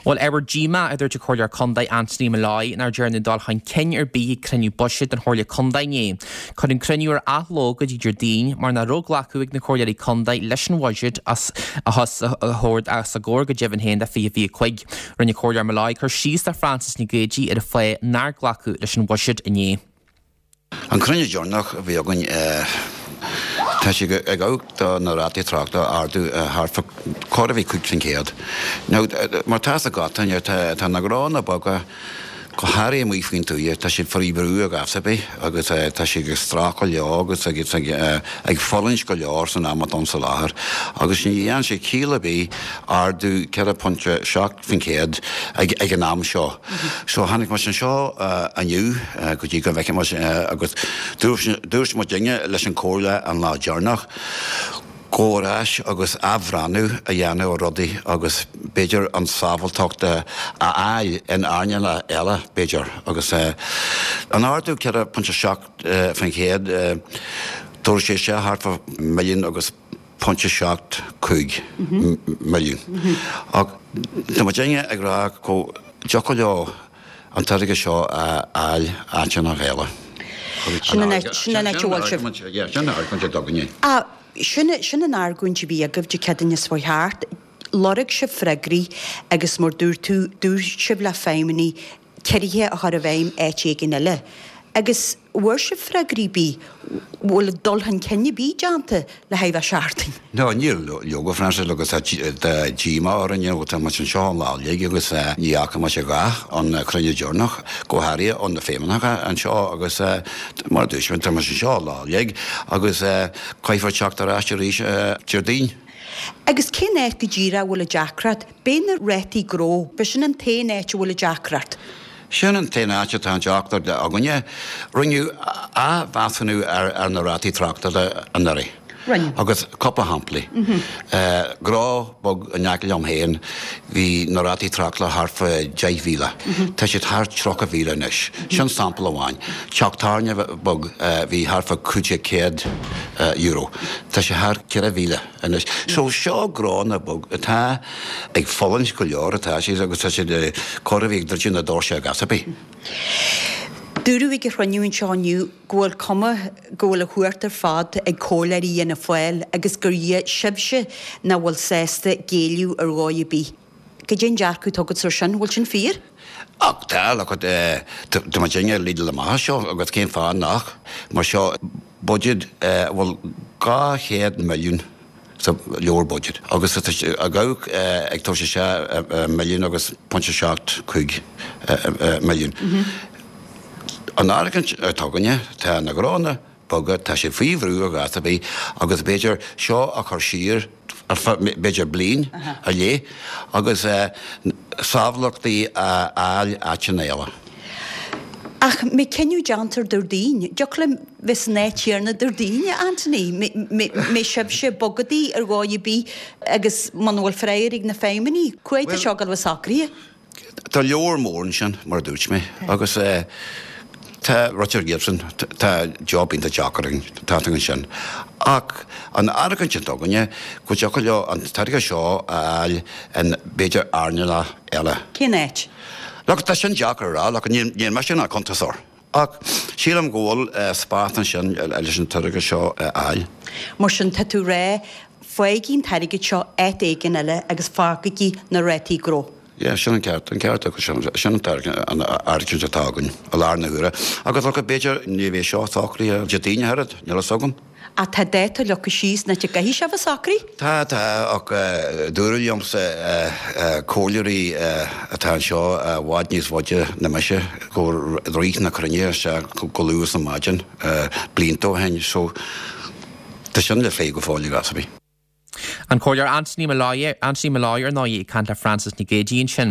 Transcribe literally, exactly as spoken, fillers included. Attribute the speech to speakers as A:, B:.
A: Bhuel ábhar díomá a dúirt an Comhairleoir Contae Anthony Molloy nár dearnadh dul chun cinn ar bith ag cruinniú buiséid den Chomhairle Contae inné. Cuireadh an cruinniú ar athló go dtí Déardaoin mar nach raibh glacadh ag na comhairleoirí contae leis an bhuiséad as a thabhairt as a gcomhair go deimhin féin do fiche fiche cúig. Rinne Comhairleoir Molloy cur síos le Frances Nic Géadaigh ar an fáth nár glacadh leis an bhuiséad inné.
B: An cruinniú deireanach a bhí againn tá sé ag gabháil do na rátaí tráchta a ardú thart fá chóir a bheith cúig faoin gcéad. Now mar tá fhios agat tá na gnónna beaga go háirithe amuigh faoin tuath, tá siad faoi bhrú ag ar bith agus tá siad ag streachailt leo agus ag ag fulaingt go leor san am atá ann sa láthair agus ní dhéanann sé ciall ar bith ardú ceithre pointe seacht faoin chéad ag ag an am seo. So tháinig muid anseo inniu go dtí go bhfeicfidh muid agus dúirt muidinne leis an chomhairle an lá deireanach go ar ais agus athbhreathnú a dhéanamh ar rudaí agus b'fhéidir an sábháilteacht a fháil in earnála eile b'fhéidir agus an ardú ceithre pointe seacht faoin chéad tabharfaidh sé isteach thart fá milliún agus pointe seacht cúig milliún. Ach tá muidinne ag rá go dtiocfadh leo an t-airgead seo a fháil áiteanna eile.
C: Sin an áit sin an áit a bhfuil sibh.
B: Sin an argóint atá againne.
C: Ah, sin sin an argóint a bhí agaibh Dé Céadaoine seo thart. Lorg sibh freagraí agus mar dúirt tú dúirt sibh le feidhmeannaigh ciorruithe a chur i bhfeidhm áit éigin eile. Agus bhfuair sibh freagraí bí bhfuil dul chun cinn ar bith déanta le haghaidh bheith seachtain.
B: No níl leoga Francis agus tá díomá orainn tá muid anseo an lá uilig agus ní fhaca muid a dhath an cruinniú deireanach go háirithe ó na feidhmeannacha anseo agus mar a dúirt mé tá muid anseo an lá uilig agus caithfear teacht ar ais arís Déardaoin.
C: Agus cén áit go díreach a bhfuil an deacracht, b'é na rátaí gnó, b'é sin an t-aon áit a bhfuil an deacracht.
B: Sin an t-aon áit atá an deacracht againne. Rinneadh athmheasúnú ar ar na rátaí tráchtála anuraidh.
C: Rinne.
B: Agus cúpla shamplaí. Gnó beag in aice liom féin bhí na rátaí tráchtála thart fá deich mhíle. Tá siad thart tríocha mhíle anois. Sin sampla amháin. Teach tábhairne beag bhí thart fá cúig déag céad euro. Tá sé thar ceithre mhíle anois. So seo gnónna beag atá ag fulaingt go leor atá siad agus tá siad chóir a bheith ag druidim na doirse ag ar bith.
C: Dúradh ag an chruinniú anseo inniu go bhfuil cuma go bhfuil an chumhacht ar fad ag comhairleoirí Fhianna Fáil agus gur iad sibhse nach bhfuil sásta géilleadh ar dhóigh ar bith. Cad é an dearcadh atá agat ar sin, bhfuil sin fíor?
B: Ach tá look tá muidinne ag leadáil amach as seo agus cén fáth nach mar seo budget bhfuil dhá chéad milliún sa leabhar budget agus tá ag gabháil ag tabhairt isteach milliún agus pointe seacht cúig milliún. An argóint atá againne tá na gnónna beaga tá sé faoi bhrú ag ar bith agus b'fhéidir seo a chur siar ar feadh b'fhéidir bliain ar leith agus sábháilteachtaí a fháil áiteanna eile.
C: Ach mé cinneadh déanta Déardaoin, dtiocfadh liom bheith san áit chéanna Déardaoin, Anthony, mé sibhse bogadaí ar dhóigh ar bith agus muna bhfuil freagra ag na feidhmeannaigh, cá fhad tá seo ag dul a bheith socraithe?
B: Tá leabhar mór ansin mar a dúirt mé agus tá Richard Gibson tá job iontach deacair againn tá ansin. Ach an argóint atá againne go dtiocfadh leo an t-airgead seo a fháil in b'fhéidir earnála eile.
C: Cén áit?
B: Look, tá sin deacair a rá, look, níl níl mise ina cuntasóir. Ach sílim go bhfuil spás ansin leis an t-airgead seo a fháil.
C: Mar sin tá tú rá faighigí an t-airgead seo áit éigin eile agus fágaigí na rátaí gnó.
B: Yeah, sin an ceart, an ceart agus sin sin an t-airgead an argóint atá againn i láthair na huaire. Agus look, b'fhéidir ní bheidh seo socraithe Déardaoin oiread, níl a fhios agam.
C: Ach tá dáta leagtha síos na te gcaithfidh sé bheith socraithe?
B: Tá tá ach dúradh liomsa comhairleoirí atá anseo i bhfad níos faide ná mise go rith na cruinne isteach go luath sa maidin blianta ó shin so tá sin le plé go fóill ag ar bith.
A: An Comhairleoir Anthony Molloy Anthony Molloy ar ndóigh ag caint le Frances Nic Géadaigh ansin.